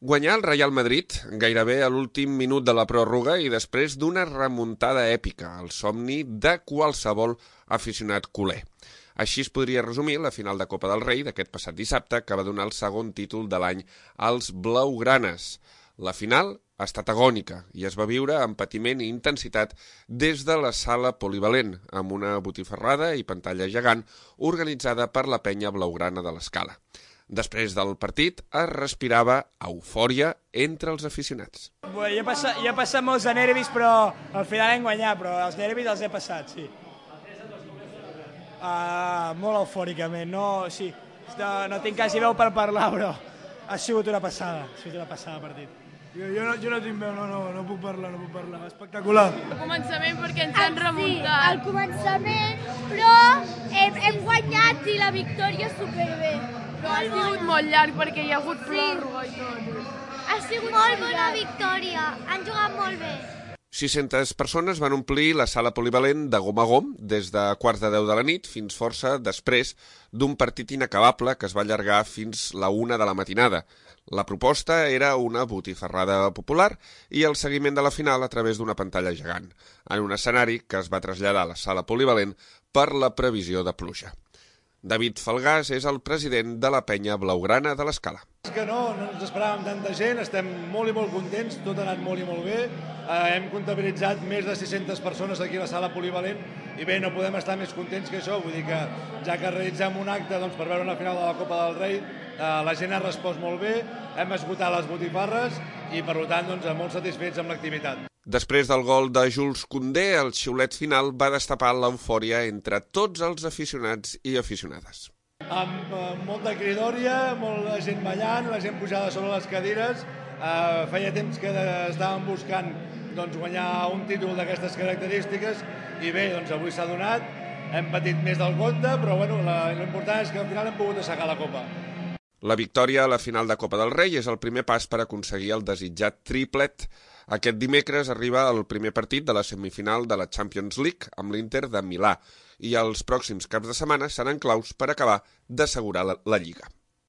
Guanyar el Real Madrid gairebé a l'últim minut de la pròrroga i després d'una remuntada èpica, el somni de qualsevol aficionat culer. Així es podria resumir la final de Copa del Rei d'aquest passat dissabte, que va donar el segon títol de l'any als blaugranes. La final ha estat agònica i es va viure amb patiment i intensitat des de la sala polivalent, amb una botifarrada i pantalla gegant organitzada per la penya blaugrana de l'Escala. Després del partit es respirava eufòria entre els aficionats. Jo he passat molts de nervis, però al final hem guanyat, però els nervis els he passat, sí. Molt eufòricament, no tinc quasi veu per parlar, però ha sigut una passada el partit. Jo no tinc veu, no puc parlar, espectacular. Al començament perquè ens han remuntat. Sí, al començament, però hem guanyat i la victòria superbé. Però ha sigut molt llarg perquè hi ha hagut pròrroga i tot. Ha sigut molt bona victòria, han jugat molt bé. 600 persones van omplir la sala polivalent de gom a gom des de quarts de 10 de la nit fins força després d'un partit inacabable que es va allargar fins la 1 de la matinada. La proposta era una botifarrada popular i el seguiment de la final a través d'una pantalla gegant, en un escenari que es va traslladar a la sala polivalent per la previsió de pluja. David Falgàs és el president de la penya blaugrana de l'Escala. És que no ens esperàvem tanta gent, estem molt i molt contents, tot ha anat molt i molt bé. Hem comptabilitzat més de 600 persones aquí a la sala polivalent i bé, no podem estar més contents que això, vull dir que ja que realitzem un acte per veure una final de la Copa del Rei, la gent ha respost molt bé, hem esgotat les botifarres i per tant molt satisfets amb l'activitat. Després del gol de Jules Koundé, el xiulet final va destapar l'eufòria entre tots els aficionats i aficionades. Amb molta cridòria, molta gent ballant, la gent pujada sobre les cadires. Feia temps que estàvem buscant guanyar un títol d'aquestes característiques i bé, avui s'ha donat. Hem patit més del compte, però l'important és que al final hem pogut assecar la Copa. La victòria a la final de Copa del Rei és el primer pas per aconseguir el desitjat triplet. Aquest dimecres arriba el primer partit de la semifinal de la Champions League amb l'Inter de Milà i els pròxims caps de setmana seran claus per acabar d'assegurar la Lliga.